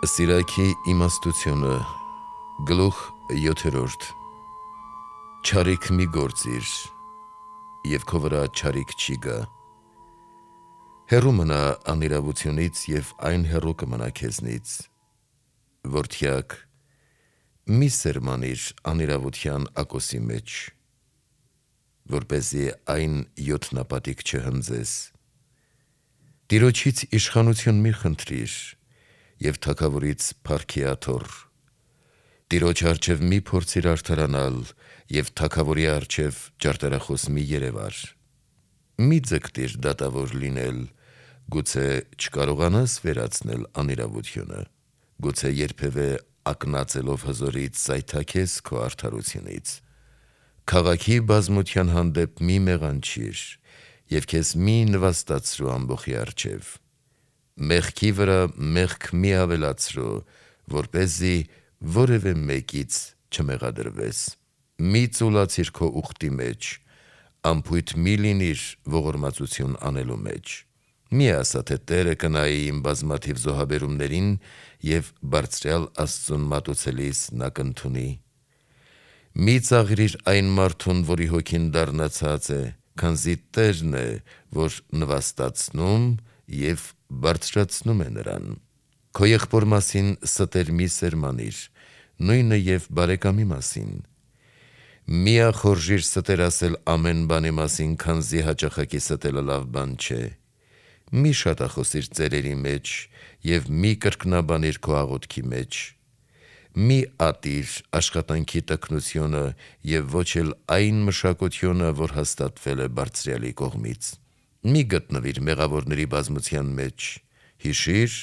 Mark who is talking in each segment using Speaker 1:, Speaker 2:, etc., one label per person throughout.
Speaker 1: Սիրակի իմաստությունը գլուխ 7 Չարիք մի գործիր և քո վրա չարիք չի գա Հեռու մնա անիրավությունից և այն հեռու կմնա քեզնից Որդյակ մի սերմանիր անիրավության ակոսի մեջ որպեսզի այն յոթնապատիկ չհնձես Տիրոջից իշխանություն մի խնդրիր և թագավորից փառքի աթոռ Տիրոջ առջև մի փորձիր արդարանալ և թագավորի առջև ջարդարախոս մի երևար Մի ձգտիր դատավոր լինել գուցե չկարողանաս վերացնել անիրավությունը գուցե երբևէ ակնածելով հզորից զայթաքես քո արդարությունից Քաղաքի բազմության հանդեպ մի մեղանչիր և քեզ մի նվաստացրու ամբոխի առջև Մեղքի վրա մեղք մի ավելացրու որպեսզի որևէ մեկից չմեղադրվես Մի ծուլացիր քո ուխտի մեջ անփույթ մի լինիր ողորմածություն անելու մեջ Մի ասա թե Տերը կնայի իմ բազմաթիվ զոհաբերումներին և բարձրյալ Աստծուն մատուցելիս նա կընդունի Մի ծաղրիր այն մարդուն որի հոգին դառնացած է քանզի Տերն է որ նվաստացնում և բարձրացնում է նրան Քո եղբոր մասին ստեր մի սերմանիր նույնը և բարեկամի մասին Մի ախորժիր ստեր ասել ամեն բանի մասին քանզի հաճախակի ստելը լավ բան չէ Մի շատախոսիր ծերերի մեջ և մի կրկնաբանիր քո աղոթքի մեջ Մի ատիր աշխատանքի տքնությունը և ոչ էլ այն մշակությունը որ հաստատվել է Բարձրյալի կողմից Մի գտնվիր մեղավորների բազմության մեջ Հիշիր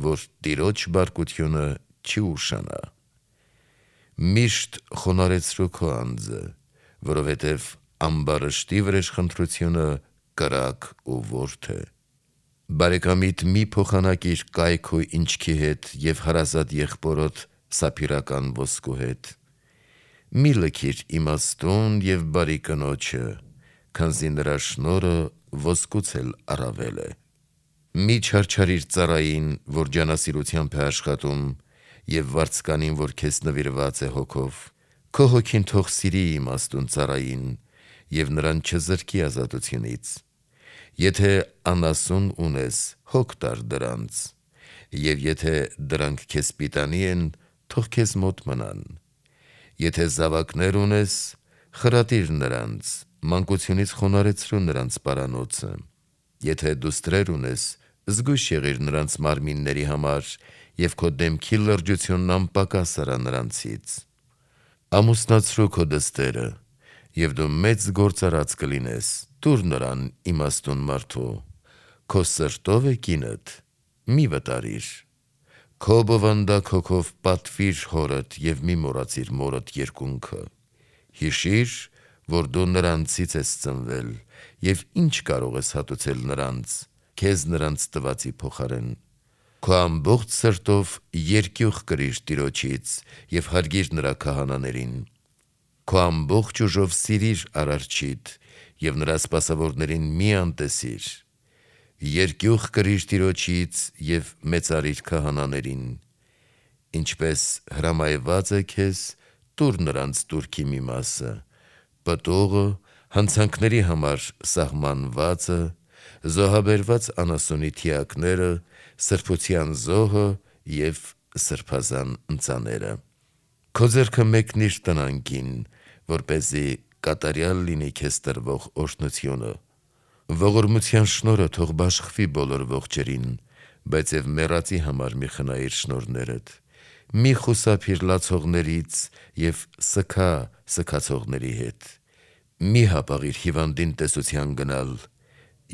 Speaker 1: որ Տիրոջ բարկությունը չի ուշանա Միշտ խոնարհեցրու քո անձը որովհետև ամբարշտի վրեժխնդրությունը կրակ ու ворթ է Բարեկամիդ մի փոխանակիր կայք ու ինչքի հետ և հարազատ եղբորդ սափիրական ոսկու հետ Մի լքիր իմաստուն և բարի կնոջը քանզի նրա շնորհը ոսկուց էլ առավել է Մի չարչարիր ծառային որ ջանասիրությամբ է աշխատում և վարձկանին որ քեզ նվիրված է հոգով Քո հոգին թող սիրի իմաստուն ծառային և նրան չզրկի ազատությունից Եթե անասուն ունես հոգ տար դրանց և եթե դրանք քեզ պիտանի են թող քեզ մոտ մնան Եթե զավակներ ունես խրատիր նրանց մանկությունից խոնարհեցրու նրանց պարանոցը Եթե դուստրեր ունես զգույշ եղիր նրանց մարմինների համար և քո դեմքի լրջությունն անպակաս արա նրանցից Ամուսնացրու քո դստերը և դու մեծ գործարած կլինես տուր նրան իմաստուն մարդու Քո սրտով է կինդ մի վտարիր Քո բովանդակ հոգով պատվիր հորդ և մի մոռացիր մորդ երկունքը Հիշիր որ դու նրանցից ես ծնվել և ինչ կարող ես հատուցել նրանց քեզ նրանց տվածի փոխարեն Քո ամբողջ սրտով երկյուղ կրիր Տիրոջից և հարգիր նրա քահանաներին Քո ամբողջ ուժով սիրիր Արարչիդ և նրա սպասավորներին մի անտեսիր Երկյուղ կրիր Տիրոջից և մեծարիր քահանաներին Ինչպես հրամայված է քեզ տուր նրանց տուրքի մի մասը Պտուղը հանցանքների համար սահմանվածը Զոհաբերված անասունի թիակները սրբության զոհը և սրբազան ընծաները Քո ձեռքը մեկնիր տնանկին որպեսզի կատարյալ լինի քեզ տրվող օրհնությունը Ողորմության շնորհը թող բաշխվի բոլոր ողջերին բայց և մեռածի համար մի խնայիր շնորհներդ Մի խուսափիր լացողներից և սգա սգացողների հետ Մի հապաղիր հիվանդին տեսության գնալ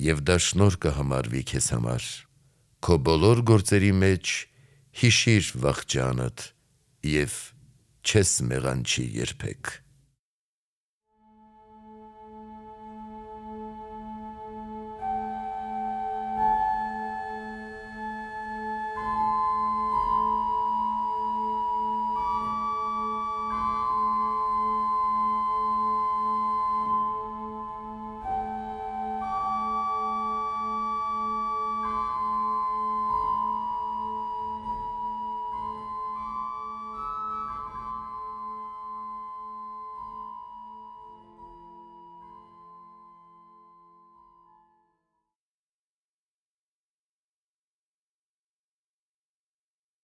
Speaker 1: և դա շնորհ կհամարվի քեզ համար Քո բոլոր գործերի մեջ հիշիր վախճանդ և չես մեղանչի երբեք